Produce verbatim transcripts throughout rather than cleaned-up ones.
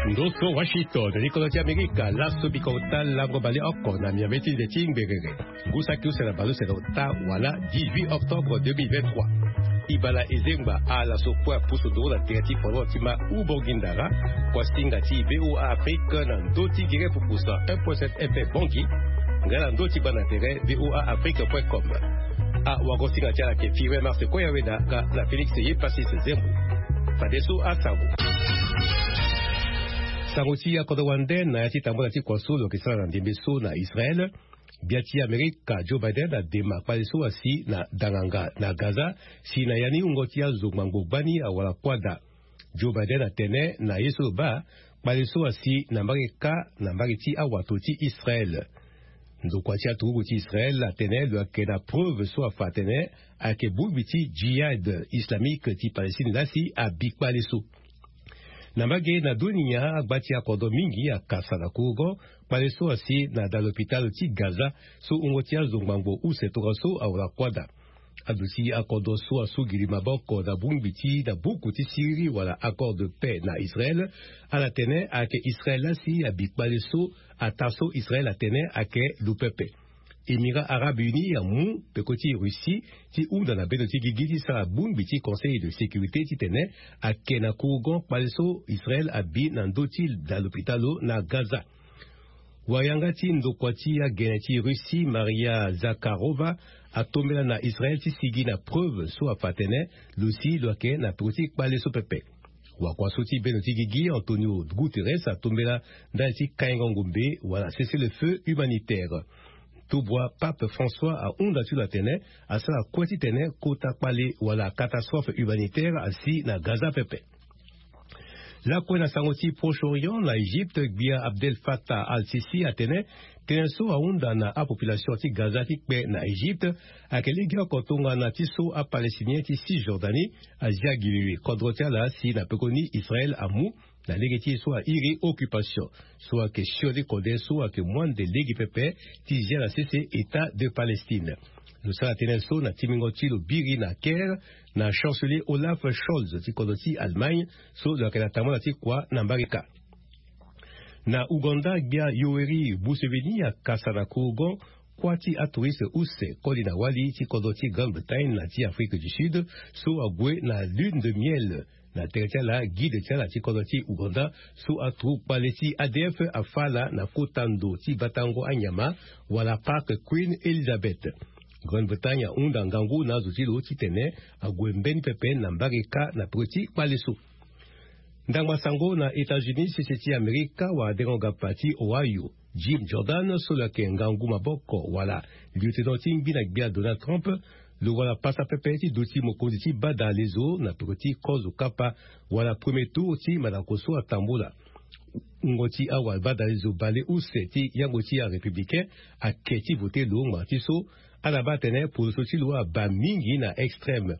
Ndo so Washington, likolo ti Amerika, laso bikota lango baleoko na miambe ti nze ti ngberere. Ngu saki use na baleuse na ota wala dix-huit octobre deux mille vingt-trois. Ibala ezengba ala so kue apusu nduru na tere ti fondement ti ma Ubongi Ndara, kuasinga ti V O A Afrique na ndö ti gere pupusa un point sept F M Bangui, nga na ndö ti bana tere V O A Afrique point com. Awagosinga ti ala ayeke Firmin Mars Koyaweda nga na Félix Yepasis Zembo. Fadeso asango. Sango ti akodro wande na ya ti tambula ti kua so lo yeke sara na ndembe so na Israël. Gbia ti Amerika Joe Biden adema kpale so asi na danganga na Gaza, si na ya ni wungo ti azo ngbangbo gbani awara kuâ daa. Joe Biden atene na ye so lo baa, kpale so asi na mbage kâ na mbage ti awato ti Israël. Ndokua ti aturugu ti Israël atene lo yeke na preuve so afa atene ayeke bongbi ti Jihad Islamique ti Palestine laa si abi kpale so. Na mbage na dunia, agba ti akodro mingi akasa na kurugo kpale so asi na daa lopitalo ti Gaza, so wungo ti azo ngbangbo use tongaso awara kuâ daa. Aduti akodro so asugiri maboko na bongbi ti na buku ti siriri wala accord de paix na Israël, ala tene ayeke Israël laa si abi kpale so, ataa so Israël atene ayeke lo pepe. Émirats Arabes Unis amu peko ti Russie ti hunda na bendo ti gigi ti sara bongbi ti Conseil de sécurité titene ayeke na kurugo kpale so Israël abi na ndö ti daa lopitalo na Gaza. Wayanga ti ndokua ti agene ti Russie, Maria Zakharova, atombela na Israël ti sigi na preuve so afa atene lo si lo yeke na peko ti kpale so pepe. Wakua so ti bendo ti gigi, Antonio Guterres, atombela ndali ti kaingo ngombe wala cessez-le-feu humanitaire. Tubua Pape François ahunda ti lo atene asara kue titene kota kpale wala catastrophe humanitaire asi na Gaza pepe. Lakue na sango ti Proche-Orient, na Égypte, gbia Abdel Fattah al-Sisi atene tënë so ahunda na apopulation ti Gaza ti kpe na Égypte ayeke legeoko tongana ti so aPalestinien ti Cisjordanie azia gi lili kodro ti ala si na pekoni Israël amu na lege ti e so airi occupation, so ayeke sioni kode so ayeke mu ande lege pepe ti zia na sese État de Palestine. Lo sara tënë so na timbingo ti lo biri na Caire na chancelier Olaf Scholz ti kodro ti Allemagne, so lo yeke na tambula ti kua na mbage kâ. Na Ouganda, gbia Yoweri Museveni akasa na kurugo kuâ ti atouriste use koli na wali ti kodro ti Grande-Bretagne na ti Afrique du Sud, so ague na lune de miel na tere ti ala guide ti ala ti kodro ti Ouganda, so aturugu kpale ti A D F afa ala na kota ndo ti batango anyama wala Parc Queen Elizabeth. Grande-Bretagne ahunda ngangu na azo ti lo titene ague mbeni pepe na mbage kâ na peko ti kpale so. Ndangba sango na États-Unis, sese ti Amerika, wadengo-gapa ti Ohio, Jim Jordan, so lo yeke ngangu maboko wala lieutenant ti ngbi na gbia Donald Trump, lo wara pasa pepe ti duti mokonzi ti badalezo na peko ti kozo kapa wala premier tour ti mandako so atambula. Wungo ti awabadalezo baleuse ti yango ti arépublicain ake ti vote lo ngbanga ti so ala baa atene poroso ti lo abaa mingi na extrême.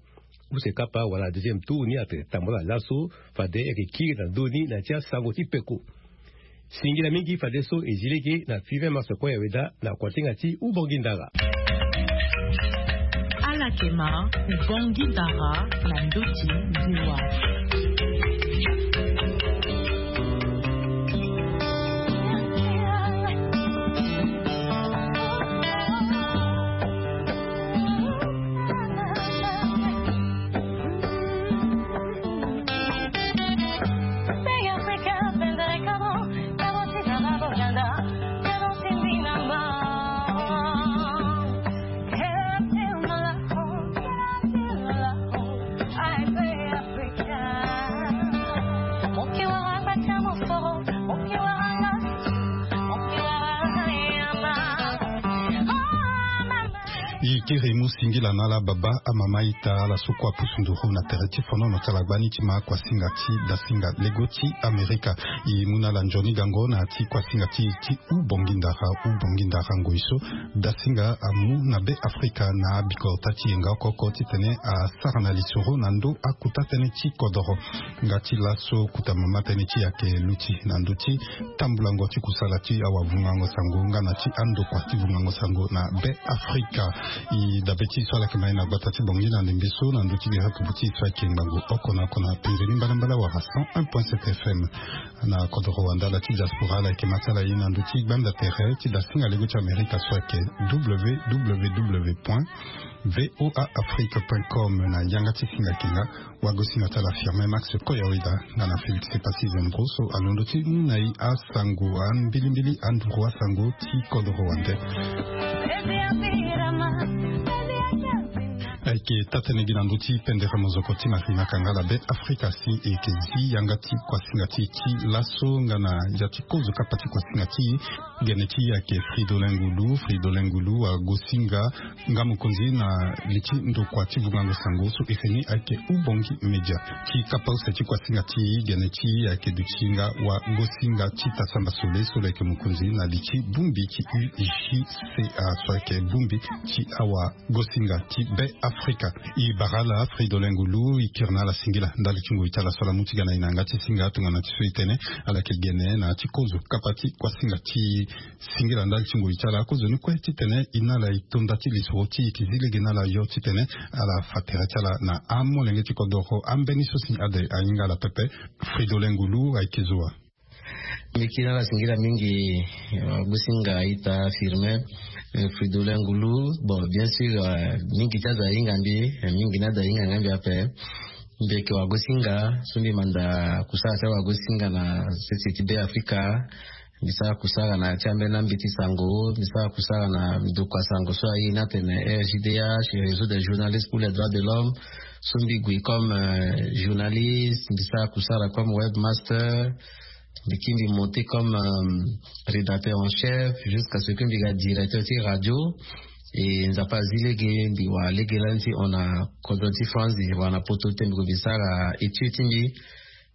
Use kapa wala deuxième tour ni atene tambula laso, fade e yeke kiri na ndö ni na ya ti asango ti peko. Singila mingi fadeso e zi lege na Firmin Mars Koyaweda na kuasinga ti Ubongi Ndara. Ala yeke ma Ubongi Ndara na ndö ti VOA. E kiri e mu singila na ala baba, amama, ita, ala so kue apusu nduru na tere ti fonono ti ala gbani ti ma kuasinga ti dasinga lego ti Amerika. E mu na ala nzoni gango na ya ti kuasinga ti, ti Ubongi Ndara, Ubongi Ndara ngoi so dasinga amu na Be Afrika na bikota ti yenga oko oko titene asara na lisoro na ndö akota tënë ti kodoro. Nga ti laso kota mama tënë ti e ayeke luti na ndö ti tambulango ti kusala ti awavungango sango nga na ti andokua ti vungango sango na Be Afrika. E dabe ti e so ala yeke ma e na gbata ti Bangui na ndembe so na ndö ti bira kubu ti e so ayeke ngbangbo oko na oko na penze ni mbalambala wala cent un point sept F M. Na kodoro wande ala ti diaspora ala yeke ma ti ala ye na ndö ti gbanda tere ti dasinga lego ti Amerika so ayeke www point voa afrique point com. Na yanga ti singa yeke nga wagosinga ti ala Firmin Max Koyaweda nga na Félix Epassi Zembro so alondo ti mu na e asango, ambilimbili anduru asango ti kodoro wande. Ayeke taa-tënë gi na ndö ti pendere mozoko ti Marina Kangala. Be Afrika si e yeke zi yanga ti kuasinga ti e ti laso nga na ya ti kozo kapa ti kuasinga ti e. Gene ti e ayeke Fridolin Ngulu. Fridolin Ngulu agosinga nga mokonzi na li ti ndokua ti vungango sango so ese ni ayeke Ubongi Media. Ti kapa use ti kuasinga ti e, gene ti e ayeke duti nga wagosinga ti Tasamba Sole so lo yeke mokonzi na li ti bongbi ti U G C A so ayeke bongbi ti awagosinga ti Be Afrika. E bara ala Fridolin Ngulu, e kiri na ala singila ndali ti ngoi ti ala so ala mu ti ga na e na yanga ti singa tongana ti so e tene ala yeke gene na ya ti kozo kapa ti kuasinga ti e. Singila ndali ti ngoi ti ala. Akozoni kue titene e na ala e to nda ti lisoro ti e, e yeke zi lege na ala yo titene ala fa tere ti ala na amolenge ti kodoro. Ambeni so si ade ahinga ala pepe. Fridolin Ngulu, ayeke zo wa? Mbi kiri na ala singila mingi, eh, wagosinga ita Firmin, eh, Fridolin Ngulu. Bon, bien sûr, eh, mingi ti azo ahinga mbi, eh, mingi ni azo ahinga nga mbi ape. Mbi yeke wagosinga so mbi manda kusala ti awagosinga na sese ti Be Afrika. Mbi sara kusala na ya ti ambeni ambeti sango, mbi sara kusala na ndokua sango so aye ni atene R J D H, Réseau des journalistes pour les droits de l'homme. So mbi gue comme, euh, journaliste, mbi sara kusala comme webmaster. Mbi kiri mbi monté comme, euh, rédacteur en chef, jusqu'à ce que mbi ga directeur ti radio. E Nzapa azi lege, mbi wara lege lani ti hon na kodro ti France, mbi wara na poto ti tene mbi gue mbi sara étude ti mbi.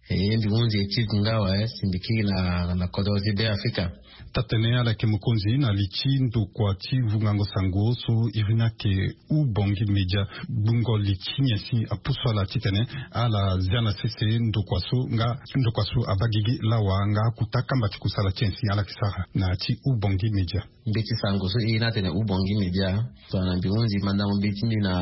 E mbi hunzi étude nga awe, si mbi kiri na, na kodro ti Be Afrika. Taa-tënë, ala yeke mokonzi na li ti ndokua ti vungango sango so iri ni ayeke Ubongi Media. Gbungo li ti nyen si apusu ala titene ala zia na sese ndokua so nga ndokua so abaa gigi lawa nga akuta kamba ti kusala ti nyen si ala yeke sara na ya ti Ubongi Media? Mbeti sango so e ye ni atene Ubongi Media. Tongana mbi hunzi mandango mbi ti mbi na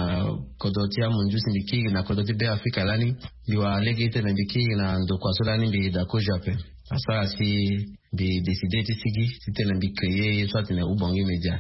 kodro ti amunzu si mbi kiri na kodro ti Be Afrika lani, mbi wara lege titene mbi kiri na ndokua so lani mbi daa kozo ape. Asara si mbi décidé ti sigi titene mbi créé ye so atene Ubongi Media.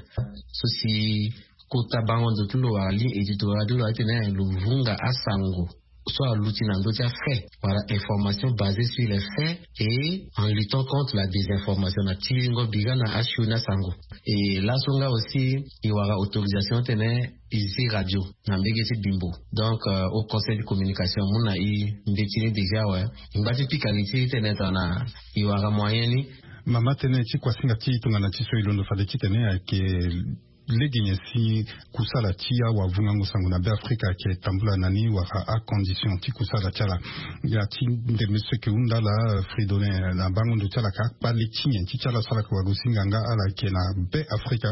So si kota bango ndo ti lo wara ligne éditoriale ti lo atene lo vunga asango so aluti na ndö ti afait, wala information basée sur les faits et en luttant contre la désinformation, na tiringo bira na asioni asango. E laso nga aussi e wara autorisation titene e zi radio na mbege ti Bimbo. Donc, euh, au conseil de communication amu na e mbeti ni déjà awe. E ngba ti pika li ti e titene tongana e wara moyen ni. Mama, tënë ti kuasinga ti e tongana ti so e londo fade titene ayeke lege nyen si kusala ti awavungango sango na Be Afrika ayeke tambula na ni, wala acondition ti kusala ti ala? Ya ti ndembe so e yeke hunda ala, Fridolin, na bango ndo ti ala ayeke akpale ti nyen ti ti ala so ala yeke wagosinga nga ala yeke na Be Afrika?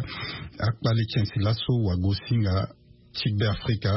Akpale ti nyen si laso wagosinga ti Be Afrika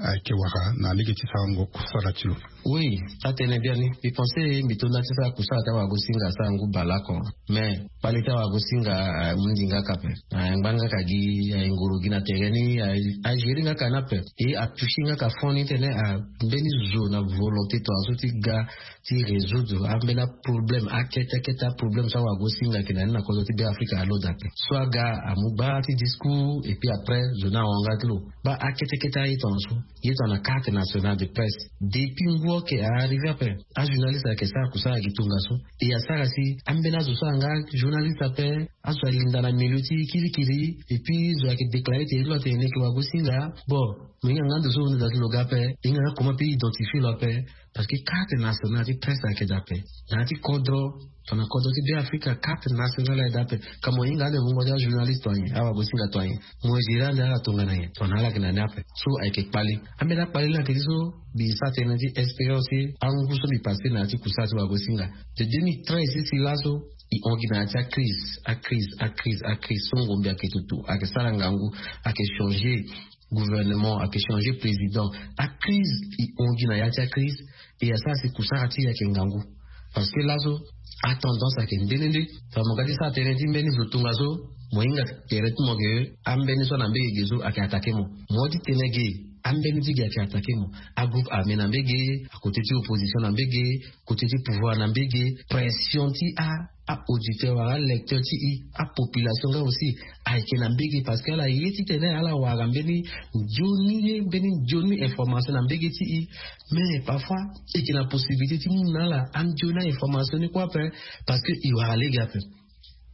ayeke wara na lege ti sarango kusala ti lo? Oui, atene biani. Mbi pensé mbi to nda ti sara kusala ti awagosinga asara ngu baleoko. Mais kpale ti awagosinga, ah, amu ndi nga ka ape. Ah, angba nga ka gi, ah, ngoro gi na tere ni, ah, agérer nga ka ni ape. E atoucher nga ka fond ni titene, ah, mbeni zo na volonté tongaso ti ga ti résoudre ambeni aproblème, akete akete aproblème so awagosinga ayeke na ni na kodro ti Be Afrika alondo ape. So aga amu gbaa ti discours et puis après zo ni ahon nga ti lo. Baa akete akete aye tongaso. Ye tongana carte nationale de presse. Depuis ngu oke a arrivé ape. Ajournaliste ayeke sara kusala gi tongaso. E asara si ambeni azo so anga journaliste ape, azo alinda na milieu ti kirikiri. Et puis zo ayeke déclarer tere ti lo atene ni ayeke wagosinga. Bon, mo hinga nga ndo so lo nda ti lo ga ape, e hinga nga comment mpe identifier lo ape. Parce que carte nationale ti presse ayeke daa ape. Na ya ti kodro, tongana kodro ti Be Afrika, carte nationale ayeke daa ape. Ka mo hinga ande vungo ti ajournaliste to anyen, awagosinga to anyen. Mo gérer ande ala tongana nyen, tongana ala yeke na ni ape. So ayeke kpale. Ambeni akpale ni ayeke ti so, mbi sara tënë ti expérience ti angu so mbi passé na ya ti kusala ti wagosinga. De deux mille treize ti si laso, e hon gi na ya ti acrise, acrise, acrise, acrise. So ngombe ayeke tutu, ayeke sara ngangu, ayeke changer gouvernement, ayeke changer président. Acrise, e hon gi na ya ti acrise, e asara si kusara ti e ayeke ngangu. Parce que laso, atendance ayeke nde nde nde. Tongana mo ga ti sara tënë ti mbeni zo tongaso, mo hinga tere ti mo ke, ambeni so na mbege ge so ayeke attaquer mo. Mo ti tene ge, Ambeni ti gi ayeke attaqué mo. Agroupe armé na mbege, akoté ti opposition na mbege, koté ti pouvoir na mbege. Pression ti a auditeur wala alecteur ti i, apopulation nga aussi ayeke na mbege, parce que ala ye titene ala wara mbeni nzoni ye, mbeni nzoni information na mbege ti i. Mais parfois eke na possibilité ti mu na ala anzoni a information ni kue ape, parce que i wara lege ape.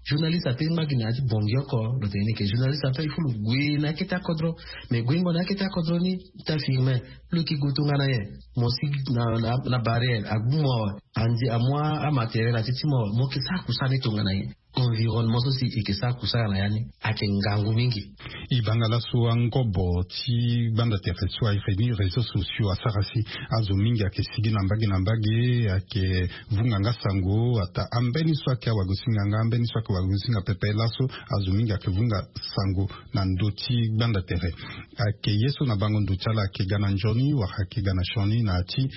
Journaliste ape ngba gi na ya ti bongi oko. Lo tene ni ke journaliste ape il faut lo gue na akete akodro. Mais guengo na akete akodro ni, ta firme, lo yeke gue tongana nyen? Mo si na, na, na barrière agbu mo awe, andi amu amatériel ati ti mo awe, mo yeke sara kusala ni tongana nyen? Environnement so si eke sara kusala na ya ni ayeke ngangu mingi. E banga laso angobo ti gbanda tere so aye feni réseaux sociaux asara si azo mingi ayeke sigi na mbage na mbage, ayeke vunga nga sango. Ata ambeni so ayeke awagosinga nga, ambeni so ayeke wagosinga pepe, laso azo mingi ayeke vunga sango na ndö ti gbanda tere. Ayeke ye so na bango ndo ti ala ayeke ga na nzoni wala ayeke ga na sioni na ya ti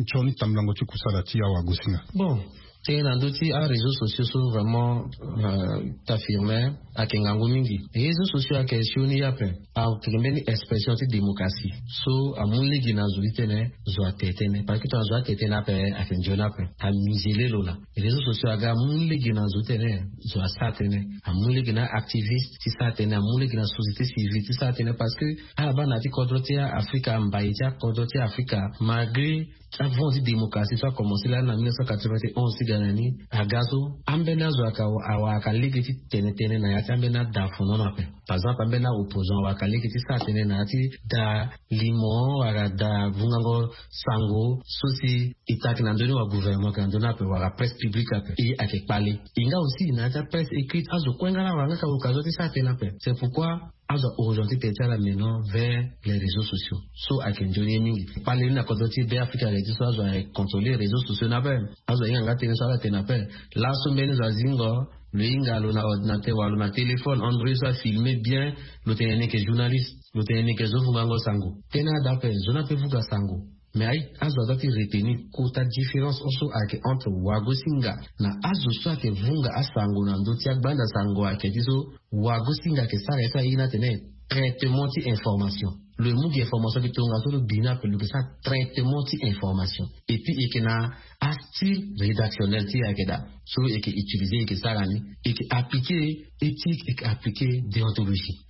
sioni tambulango ti kusala ti awagosinga? Bon, tënë na ndö ti aréseaux sociaux so vraiment, euh, ta firme, ayeke ngangu mingi. Réseaux sociaux ayeke sioni ye ape. Ayeke mbeni expression ti démocratie so amu lege na zo ti tene zo atene tënë, parce que tongana zo atene tënë ape ayeke nzoni ape. Amusele lo laa. Réseaux sociaux aga amu lege na zo ti tene zo asara tënë, amu lege na activiste ti sara tënë, amu lege na société civile ti sara tënë, parce que ala baa na ya ti kodro ti Afrika, mbai ti akodro ti Afrika, malgré avant ti démocratie so akomanse lani na mille neuf cent quatre-vingt-onze ti ga na ni, aga so ambeni azo ayeke awara lege ti tene tënë na ya ti ambeni ada fonono ape. Par exemple ambeni aopposant awara lege ti sara tënë na ya ti da limo wala da vungango sango so si e ta ayeke na ndö ni wala gouvernement ayeke na ndö ni ape wala presse publique ape. E ayeke kpale. E nga aussi na ya ti apresse écrite azo kue nga la awara nga ka occasion ti sara tënë ape. C'est pourquoi azo a-orienté tënë ti ala maintenant vers les réseaux sociaux. So ayeke nzoni ye mingi. Kpale ni na kodro ti Be Afrika ayeke ti so azo ayeke contrôler réseaux sociaux ni ape. Azo ahinga nga tënë so ala tene ape. Laso mbeni zo azingo, lo hinga lo na ordinateur wala lo na téléphone Android so afilme bien, lo tene ni yeke journaliste, lo tene ni yeke zo vungango sango. Tënë ada ape, zo ni ape vunga sango. Mais aye, azo adoit ti retenir kota différence so ayeke entre wagosinga na azo so ayeke vunga asango na ndö ti agbanda sango ayeke ti so wagosinga ayeke sara ye so aye ni atene traitement ti information. Lo ye mu gi information gi tongaso lo bi ni ape, lo yeke sara traitement ti information. Et puis e yeke na astyle rédactionnel ti e ayeke daa so e yeke utiliser, e yeke sara ni, e yeke appliquer éthique, e yeke appliquer déontologie.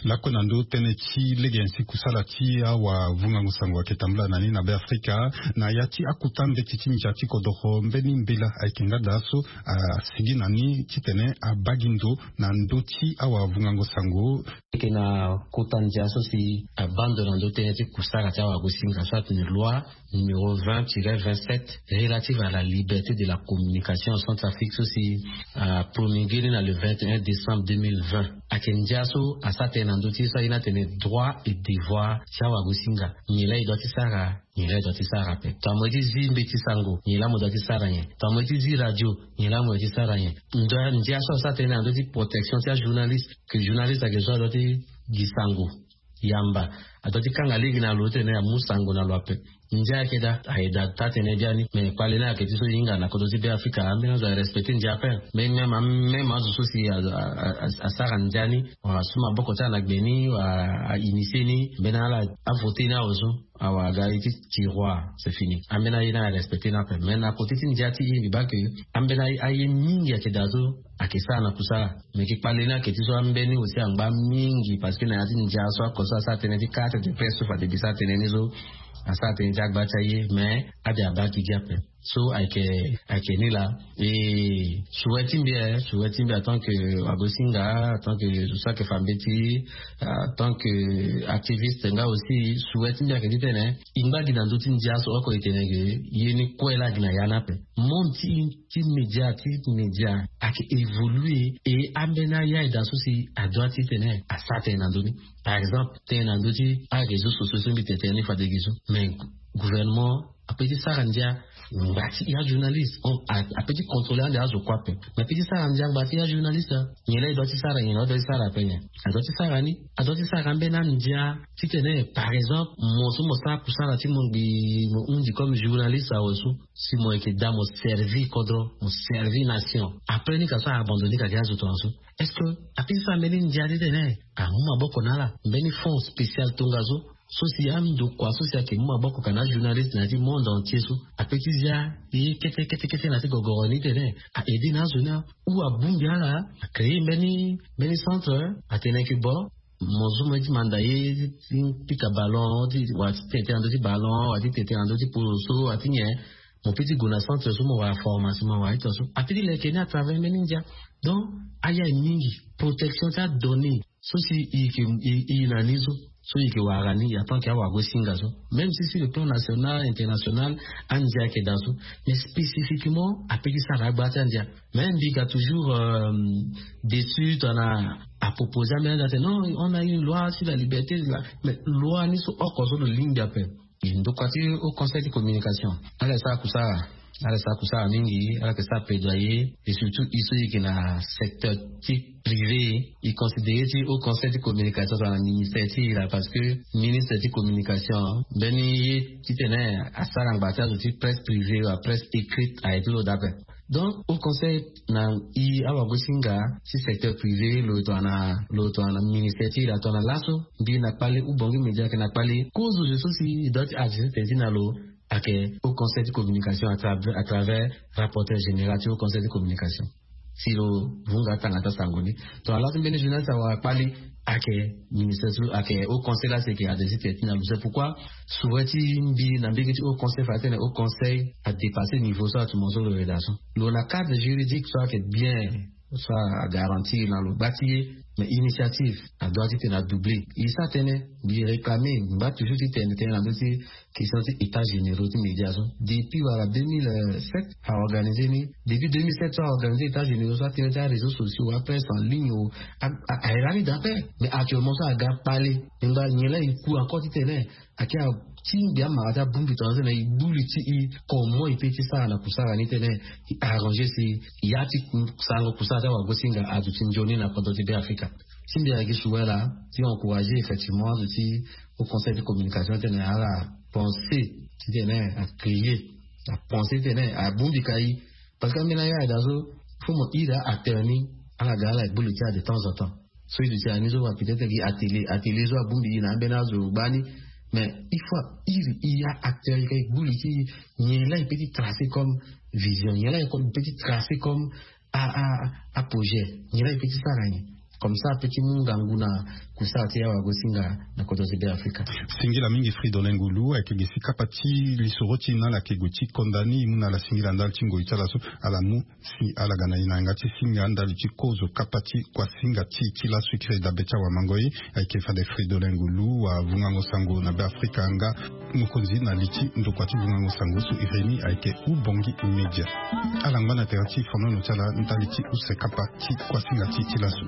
Lakue na ndö tënë ti lege nyen si kusala ti awavungango sango ayeke tambula na ni na Be Afrika, na ya ti akota mbeti ti ndia ti kodoro, mbeni mbela ayeke nga daa so asigi na ni titene abaa gi ndo na ndö ti awavungango sango? Eke na kota ndia so si abaa ndo na ndö tënë ti kusala ti awagosinga so atene loi numéro vingt tiret vingt-sept relative à la liberté de la communication en Centrafrique so si apromulgué ni na le vingt et un décembre deux mille vingt. Ayeke ndia so asara tënë na ndö ti ye so aye ni atene droit et devoir ti awagosinga. Nyen laa e doit ti sara, nyen laa e doit ti sara ape? Tongana mo ye ti zi mbeti sango, nyen laa mo doit ti sara nyen? Tongana mo ye ti zi radio, nyen laa mo doit ti sara nyen? Ndia so asara tënë na ndö ti protection ti ajournaliste, que journaliste ayeke zo adoit ti gi sango yamba, adoit ti kanga lege na lo titene amu sango na lo ape. Ndia ayeke daa, ayeke daa taa-tënë biani. Mais kpale ni ayeke ti so e hinga na kodro ti Be Afrika, ambeni azo arespecté ndia ape. Mais même, même azo so si asara ndia ni wala asu maboko ti ala na gbe ni wala ainitié ni, mbeni ala avoté ni awe so, awa aga ye ti tiroir, c'est fini. Ambeni aye ni arespecté ni ape. Mais na côté ti ndia ti e mbi baa ke ambeni aye mingi ayeke daa so ayeke sara na kusala. Mais yeke kpale ni ayeke ti so ambeni aussi angba mingi, parce que na ya ti ndia so oko so asara tënë ti carte de presse so fade mbi sara tënë ni so, asara tënë ti agba ti aye, mais ade abaa gigi ape. So ayeke, ayeke ni laa. E souhait ti mbi, eh, souhait ti mbi en tant que wagosinga, en tant que so ayeke fa mbeti, en tant que activiste nga aussi, souhait ti mbi ayeke titene e ngba gi na ndö ti ndia so oko e tene ke ye ni kue laa gi na ya ni ape. Monde ti ti média, ti média ayeke évoluer, e ambeni aya e daa so si adoit titene asara tënë na ndö ni. Par exemple tënë na ndö ti aréseaux sociaux so mbi tene tënë ni fade gi so, mais gouvernement ape ti sara ndia ngba ti ajournaliste. Ape ti contrôler ande azo kue ape. Mais ape ti sara ndia ngba ti ajournaliste. Nyen laa e doit ti sara, nyen laa e doit ti sara ape nyen? Adoit ti sara ni, adoit ti sara ambeni andia titene par exemple mo so mo sara kusala ti mo ngbii, mo hundi comme journaliste awe so, si mo yeke daa mo servi kodro, mo servi nation, après ni ka so a abandonné ka gi azo tongaso. Est-ce que ape ti sara mbeni ndia titene amu maboko na ala mbeni fonds spécial tongaso So si andokua so si ayeke mu maboko ka na ajournaliste na ya ti monde entier so, ape ti zia ye kete kete kete na ya ti gogoro ni titene a aide na azo ni. Ou abongbi ala, acréer mbeni mbeni centre, atene yeke bon, mo zo mo ye ti manda ye ti pika ballon ti, wala ti tete na ndö ti ballon, wala ti tete na ndö ti polo so, wala ti nyen. Mo pe ti gue na centre so, mo wara formation, mo wara ita so, ape ti leke ni à travers mbeni ndia. Donc, aya mingi protection ti adonnée so si i yeke i na ni so, so i yeke wara ni ya tant que awagosinga so. Même si sur le plan national, international, andia ayeke daa so, mais spécifiquement ape ti sara agba ti andia. Mais mbi ga toujours déçu tongana apropose ambeni andia atene non, on a une loi sur la liberté, mais loi ni so oko so lo lingbi ape. Ndokua ti haut conseil ti communication, ala ye sara kusara. Ala ye sara kusara mingi, ala yeke sara plaidoyer. Et surtout i so i yeke na secteur ti privé, i considéré ti haut conseil ti communication tongana ministère ti i laa, parce que ministre ti communication, mbeni ye titene asara ngba ti azo ti presse privée wala presse écrite aye ti lo daa ape. Donc haut conseil na i awagosinga ti secteur privé, lo tongana lo tongana ministère ti i laa, tongana laso mbi na kpale, ou bongi média ayeke na kpale, kozo zo so si i doit ti adressé tene ti na lo ayeke haut conseil ti communication à travers, à travers rapporteur général ti haut conseil ti communication. Si lo vunga atanga ti asango ni, tongana laso mbeni journaliste awara kpale, ayeke ministère so, ayeke haut conseil laa si ayeke adressé tene ti na lo. C'est pourquoi souhait ti mbi na mbege ti haut conseil, fade titene haut conseil adépassé niveau so atumo so lo yeda so. Lo na cadre juridique so ayeke bien, so agarantir na lo gba ti ye. Mais initiative adoit titene adoublé. E sara tënë, mbi réclamé, mbi ngba toujours titene tënë na ndö ti question ti état généraux ti média so. Depuis wala deux mille sept aorganisé ni. Depuis deux mille sept so aorganisé état généraux so, atënë ti aréseaux sociaux, apresse en ligne o, aye lani daa ape. Mais actuellement so aga kpale, e ngba nyen laa e ku encore titene ayeke atingbi amara ti abongbi tongana so na e gbu li ti e comment e peut ti sara na kusara ni titene e arrangé si ya ti sarango kusara ti awagosinga aduti nzoni na kodro ti Beafrika. Si mbi ayeke souhait laa ti encouragé effectivement azo ti haut conseil ti communication titene ala pensé titene acréé, apensé titene abongbi ka e. Parce que ambeni aye ayeda so, faut mo iri a-acteur ni, ala ga ala gbu li ti ala de temps en temps. So e duti na ni so, peut-être gi atelier, atelier so abongbi e na ambeni azo gbani. Mais il faut iri e a-acteur, e ka e gbu li ti e, nyen laa e peut ti tracé comme vision, nyen laa e peut ti tracé comme a, a, a projet, nyen laa e peut ti sara nyen. Comme ça ape ti mu ngangu na kusara ti awagosinga na kodro ti Beafrika. Singila mingi Fridolin Ngulu, ayeke gi si kapa ti lisoro ti e na ala yeke gue ti konda ni. E mu na ala singila ndali ti ngoi ti ala so ala mu si ala ga na e na yanga ti singa ndali ti kozo kapa ti kuasinga ti e ti laso. E kiri dabe ti awamangoi, ayeke fade Fridolin Ngulu avungango sango na Beafrika nga mokonzi na li ti ndokua ti vungango sango so e iri ni ayeke Ubongi Media. Ala ngba na tere ti fonono ti ala ndali ti use kapa ti kuasinga ti e ti laso.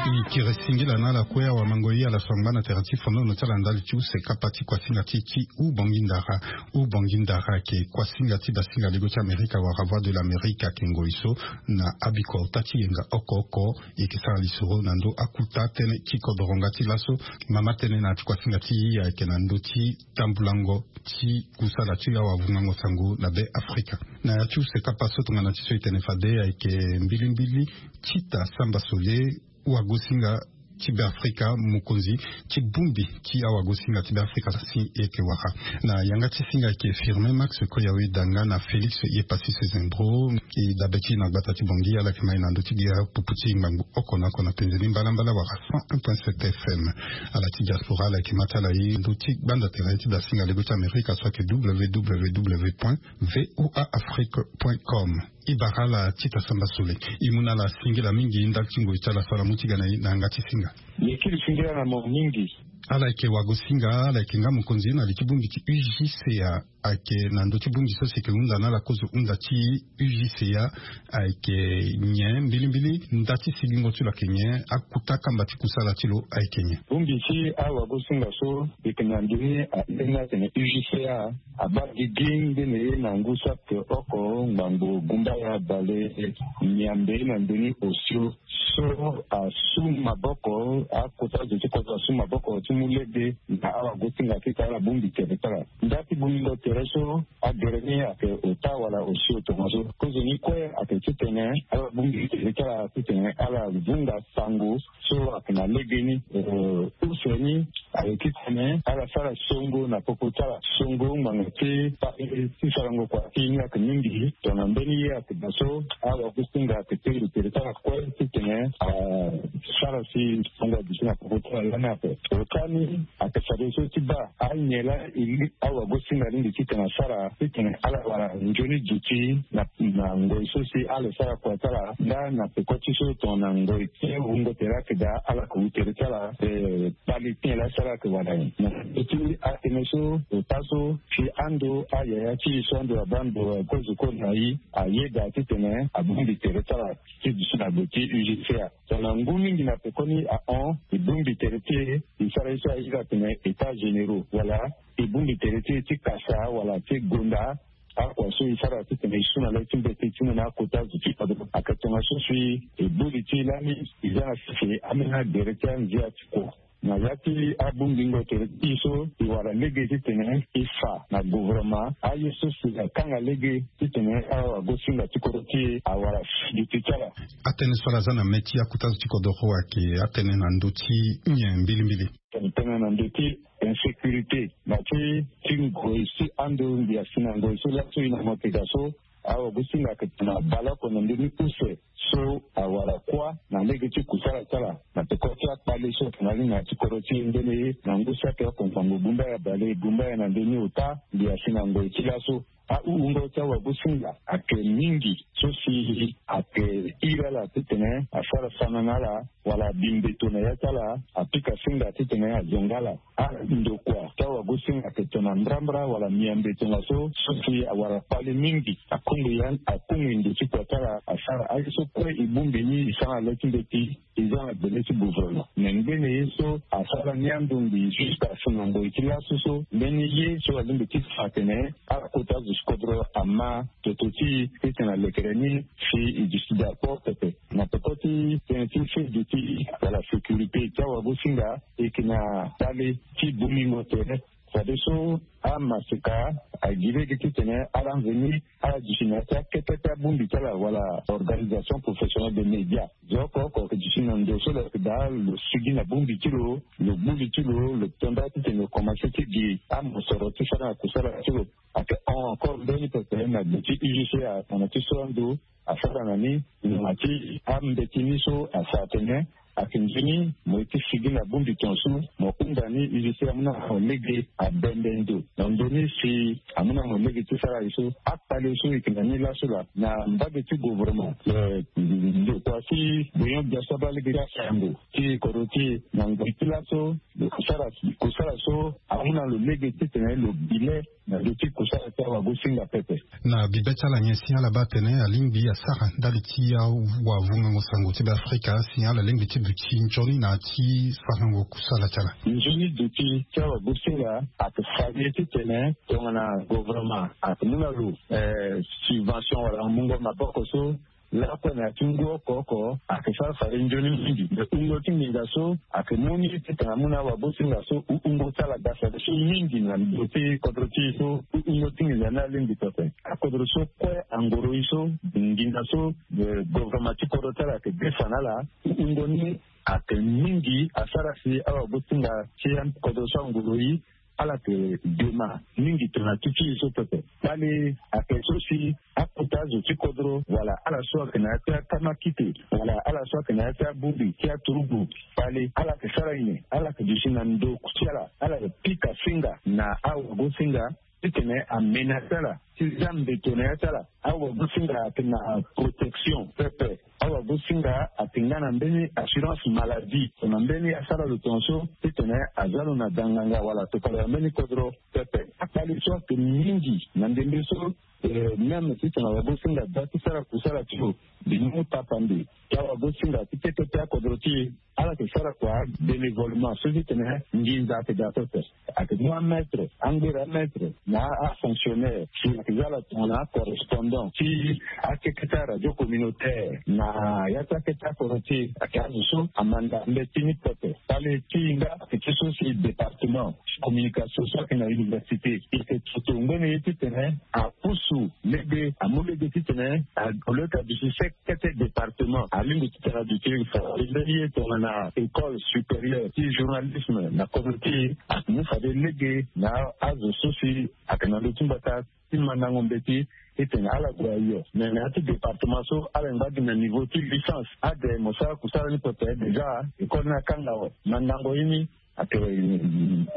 E kiri singila na ala kue awamangoi, ala so angba na tere ti fonono ti ala ndali ti use kapa ti kuasinga ti e ti Ubongi Ndara. Ubongi Ndara ayeke kuasinga ti basinga lego ti Amerika wala Voix de l'Amérique ayeke ngoi so na abikota ti yenga oko oko e yeke sara lisoro na ndö akuta tënë ti kodoro nga ti laso. Mama tënë na ya ti kuasinga ti e ayeke na ndö ti tambulango ti kusala ti awavungango sango na Beafrika. Na ya ti use kapa so tongana ti so e tene fade ayeke mbilimbili Tita Samba Sole, wagosinga ti Beafrika, mokonzi ti bongbi ti awagosinga ti Beafrika si e yeke wara. Na yanga ti singa ayeke Firmin Max Koyawe Danga na Félix Yepassis Zembro. E dabe ti e na gbata ti Bangui, ala yeke ma e na ndö ti gi apupu ti ngbangbo oko na oko na penze ni mbalambala wala cent un point sept F M. Ala ti diaspora, ala yeke ma ti ala e ndö ti gbanda tere ti dasinga lego ti Amerika so ayeke W W W point V O A Afrique point com. E bara ala Tita Samba Sole. E mu na ala singila mingi ndali ti ngoi ti ala so ala mu ti ga na e na yanga ti singa. Mbi kiri singila na mo mingi. Ala yeke wagosinga, ala yeke nga mokonzi na li ti bongbi ti U G C A. Ayeke na ndö ti bongbi so si eke hunda na ala kozo hunda ti U G C A. Ayeke nyen mbilimbili? Nda ti sigingo ti lo ayeke nyen? Akuta kamba ti kusala ti lo ayeke nyen? Bongbi ti awagosinga so eke na ndö ni, a, ni atene U G C A abaa gigi ndeni na ngu saki oko ngbangbo gumbaya bale miambe na ndö ni osio. So asu maboko, akota zo ti kodro asu maboko ti mu lege na awagosinga ti tara bongbi tere ti ala. Nda ti bongingo tere so agere ni ayeke ota wala osio tongaso. Kozoni kue ayeke titene ala bongbi tere ti ala titene ala vunga sango so ayeke na legeni. Eh, use ni ayeke titene ala sara songo na popo ti ala, songo ngbanga ti paye ti sarango kua ti ye ni ayeke mingi. Tongana mbeni ye ayeke daa so, awagosinga ayeke tengbi tere ti ala kue titene asara si songo aduti na popo ti ala lani ape. Ota ni ayeke fadeso ti baa anyen laa e li awagosinga alingbi titene asara titene ala wara nzoni duti na, na ngoi so si ala sara kua ti ala nga na peko ti so tongana ngoi ti wungo tere ayeke daa ala yeke wu tere ti ala. Eh, kpali ti nyen laa si ala yeke wara nyen? Na ndö ti atënë so, ota so si ando ayaya ti e so ando abaa ndo kozo kue na e, ayeda titene abongbi tere ti ala ti duti na gbe ti U G C A. Tongana ngu mingi na pekoni ahon, e bongbi tere ti e, e sara ye so ayeda atene états généraux, wala e bongbi tere ti e ti kasa wala ti gonda akua so e sara titene e su na le ti mbeti ti mu na akota zo ti kodro. Ayeke tongaso si e boli ti e lani, e za na sese ambeni agere ti anzia ti kua. Na ya ti abongbingo tere ti e so, e wara lege titene e fa na gouvernement aye so si akanga lege titene awagosinga ti kodro ti e awara duti ti ala. Atënë so ala za na mê ti akota zo ti kodro ayeke atënë na ndö ti nyen mbilimbili? Tene na ndö ti insécurité na ti, ti ngoi ti ando ngia si na ngoi so laso e na mo tega so, awagosinga ayeke tene abale oko na ndö ni use so awara kuâ na lege ti kusala ti ala na peko ti akpale so atene alingbi na ti kodro ti e ndeni na ngu saki oko ngbangbo gumbaya bale gumbaya na ndö ni ota ngia si na ngoi ti laso. Ahungo ti awagosinga ayeke mingi so si ayeke iri ala titene asara sana na ala wala abi mbeto na ya ti ala, apika singa titene azonga ala. Andokua ti awagosinga ayeke tongana mbrambra wala miambe tongaso so si awara kpale mingi. Akungbi, akungbi ndo ti kua ti ala asara aye so kue e bongbi ni e sara na le ti mbeti. E za na gbele ti gouvernement me ngbene ye so asara ni ando mbi jusqu'à si na ngoi ti laso so mbeni ye so alingbi ti fa atene akota zo ti kodro ama toto ti e titene alekere ni si e duti d'accord pepe. Na peko ti tënë ti seduti wala sécurité ti awagosinga e yeke na kpale ti bongingo tere. Fadeso amaseka agi lege titene ala nzoni ala duti na ya ti akete ti abongbi ti ala wala organisation professionnelle de média. Zo oko oko ayeke duti na ndo so lo yeke daa lo sigi na bongbi ti lo, lo gbu li ti lo, lo tonda titene lo komanse ti gi amosoro ti sara na kusala ti lo. Ayeke hon encore mbeni pepe na gbe ti U G C A tongana ti so ando asara na ni, na ti ambeti ni so asara atene ayeke nzoni mo ye ti sigi na bongbi tongaso, mo hunda ni U G C A amu na mo lege abembe ndo na ndo ni si amu na mo lege ti sara ye so. Akpale so e yeke na ni laso laa na mbage ti gouvernement. Eh, ndokua si Benyon Biaso abaa lege ti asango ti kodro ti e na ngoi ti laso, kusala, kusala so amu na lo lege titene lo bi le na ndö ti kusala ti awagosinga pepe. Na bibe ti ala nyen si ala baa atene alingbi asara ndali ti awavungango sango ti Beafrika si ala lingbi ti duti nzoni na ya ti sarango kusala ti ala? Nzoni duti ti awagosinga ayeke fa ye titene tongana gouvernement ayeke mu na lo, eh, subvention wala mungo maboko so lakue na ya ti ngu oko oko ayeke sara fade nzoni mingi. Me hungo ti nginza so ayeke mu ni titene amu na awagosinga so hungo ti ala ga fade so mingi na ndo ti kodro ti e so hungo ti nginza ni alingbi pepe. Akodro so kue angoro e so nginza so, eh, gouvernement ti kodro ti ala ayeke defa na ala hungo ni ayeke mingi asara si awagosinga ti akodro so angoro e ala yeke dema mingi tongana ti ti e so pepe. Kpale ayeke so si akota zo ti kodro wala ala so ayeke na ya ti akama kite wala ala so ayeke na ya ti abongbi ti aturugu, kpale ala yeke sara nyen? Ala yeke duti na ndo ti ala, ala yeke pika singa na awagosinga titene amenace ala ti za mbeto na ya ti ala. Awagosinga ayeke na protection pepe. Awagosinga ayeke nga na mbeni assurance maladie, na mbeni asara lo tongaso titene aza lo na danganga wala tokala na mbeni kodro pepe. Akpale so ayeke mingi na ndembe so. Même titene awagosinga aza ti sara kusala ti lo, mbi mu tapande ti awagosinga ti kete ti akodro ti e. Ala yeke sara kua bénévolement so titene nginza ayeke daa pepe. Ayeke mu amètre, angbere amètre na afonctionnaire si ayeke za ala tongana acorrespondant ti akeke ti aradio communautaire na ya ti akeke ti akodro ti e. Ayeke azo so amanda mbeti ni pepe. Kpale ti e nga ayeke ti so si département communication so ayeke na université, e yeke toto ngbene ye titene apusu lege, amu lege titene a, au lieu ti aduti sek kete département, alingo titene aduti fade mbeni ye tongana école supérieure ti journalisme na kodro ti e. Amu fade lege na azo so si ayeke na ndö ti mbata ti mandango mbeti titene ala gue ayo. Me na ya ti département so ala ngba gi na niveau ti licence. Ade mo sara kusala ni pepe déjà, école ni akanga awe. Mandango ye ni ayeke,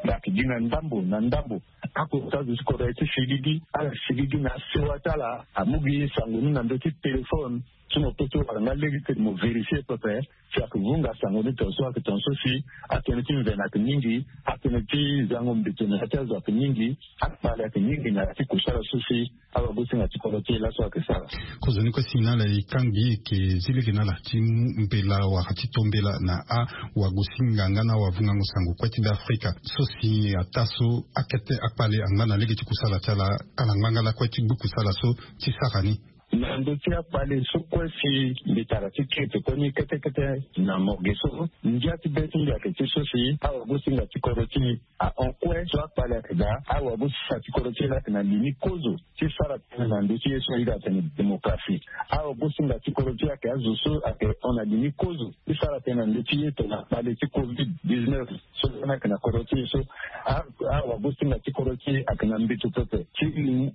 ayeke gi na ndambo na ndambo. Akota azo ti kodro aye ti sigigi, ala sigigi na asewa ti ala. Amu gi sango ni na ndö ti téléphone, so mo peut ti wara nga lege titene mo vérifier pepe si ayeke vunga sango ni tongaso, ayeke tongaso si atënë ti mvene ayeke mingi, atënë ti zango mbeto na ya ti azo ayeke mingi, akpale ayeke mingi na ya ti kusala so si awagosinga ti kodro ti e laso ayeke sara. Kozoni kue si na ala e kangbi e yeke zi lege na ala ti mu mbela wala ti to mbela na awagosinga nga na awavungango sango kue ti Beafrika so si ataa so akete akpale angba na lege ti kusala ti ala, ala ngba nga lakue ti gbu kusala so ti sara ni. Na ndö ti akpale so kue si mbi tara ti kete kue ni kete kete na morgue so, ngia ti be ti mbi ayeke ti so si awagosinga ti kodro ti e ahon kue so akpale ayeke daa. Awagosinga ti kodro ti e laa ayeke na li ni kozo ti sara tënë na ndö ti ye so ayeke atene démocratie. Awagosinga ti kodro ti e ayeke azo so ayeke hon na li ni kozo ti sara tënë na ndö ti ye tongana kpale ti covid dix-neuf so ni ayeke na kodro ti e so. A, awagosinga ti kodro ti e ayeke na mbeto pepe ti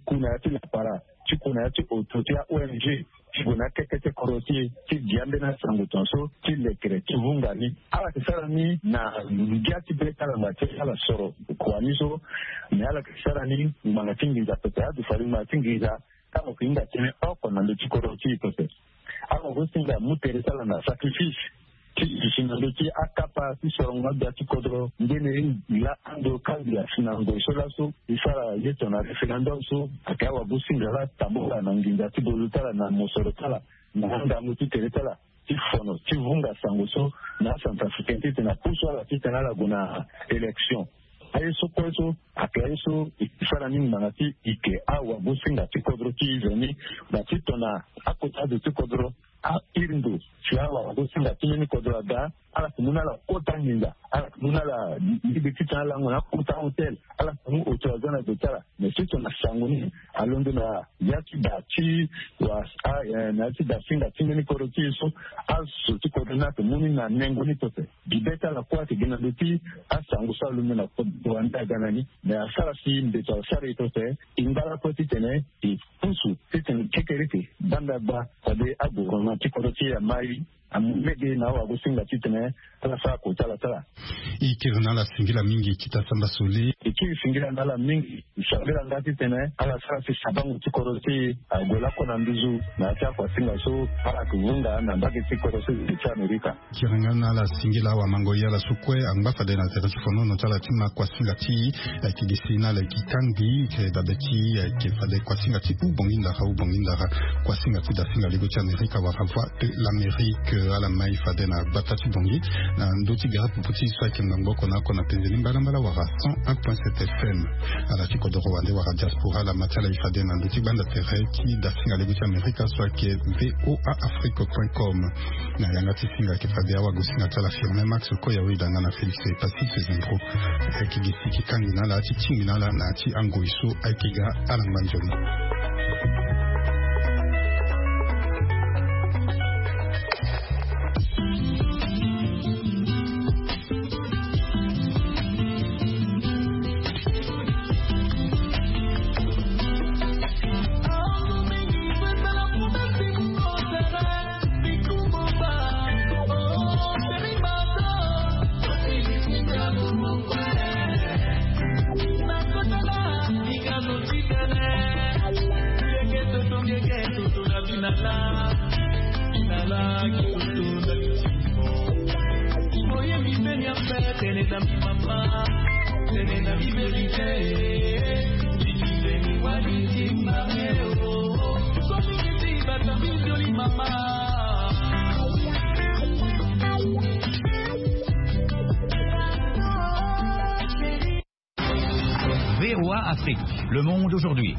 ku na ya ti lapara, ti ku na ya ti oto ti a-O N G, ti gue na akeke ti kodro ti e ti gi ambeni asango tongaso ti lekere ti vunga ni. Ala yeke sara ni na ngia ti be ti ala ngba ti ala soro kua ni so. Me ala yeke sara ni ngbanga ti nginza pepe. Azo fa ni ngbanga ti nginza, tango ayeke hinga tënë oko na ndö ti kodro ti e pepe. Awagosinga amu tere ti ala na sacrifice ti duti na ndö ti akapa ti sorongo agbia ti kodro. Ngbene e laa ando kangbi asi na ngoi so laso e sara ye tongana référendum so, ayeke awagosinga laa tambula na nginza ti gonzo ti ala, na mosoro ti ala, na angangu ti tere ti ala ti fono ti vunga sango so na acentrafricain titene apusu ala titene ala gue na élection. Aye so kue so ayeke aye so e sara ni ngbanga ti e yeke awagosinga ti kodro ti e veni. Na ti tongana akota azo ti kodro ahiri ndo si awagosinga ti mbeni kodro aga, ala yeke mu na ala kota nginza, ala yeke mu na ala lege titene ala lango na akota hotel, ala yeke mu oto aza na ndo ti ala. Me ti tongana sango ni alondo na ya ti da ti wa, a, eh, na ya ti da singa ti mbeni kodro ti e so, azo ti kodro ni ayeke mu ni na nengo ni pepe. Gi be ti ala kue ayeke gi na ndo ti asango so alondo na kodro wande aga na ni. Me asara si mbeto asara e pepe, e ngba lakue titene e pusu titene kekereke banda gba fade agouvernement ti kodro ti e amai. Amu lege na awagosinga titene ala sara kota ala sara. E kiri na ala singila mingi ti ta samba sole. E kiri singila na ala mingi. E sambela nga titene ala sara si sabango ti kodro ti e ague lakue na nduzu na ya ti akuasinga so ala yeke vunga na mbage ti kodro ti Amerika. Kiri nga na ala singila awamango ye ala so kue angba fade na tere ti fonono ti ala ti ma kuasinga ti e. Ayeke gi si na ala e yeke kangbi, e yeke dabe ti e, e yeke fade kuasinga ti Ubongi Ndara, Ubongi Ndara, kuasinga ti dasinga lego ti Amerika wala Voix de l'Amérique. Ala mai fade na gbata ti Bangui na ndö ti gere popo ti e so ayeke ngbangbo oko na oko na penze ni mbalambala wala cent un point sept F M. Ala ti kodoro wande wala diaspora, ala ma ti ala e fade na ndö ti gbanda tere ti dasinga lego ti Amerika so ayeke V O A Afrique point com. Na yanga ti singa ayeke fade awagosinga ti ala Firmin Max Koya, Wida nga na Félix Passy Zembro. Ayeke gi si e yeke kangbi na ala ti tingbi na ala na ya ti angoi so ayeke ga ala ngba nzoni. V O A Afrique, le monde aujourd'hui.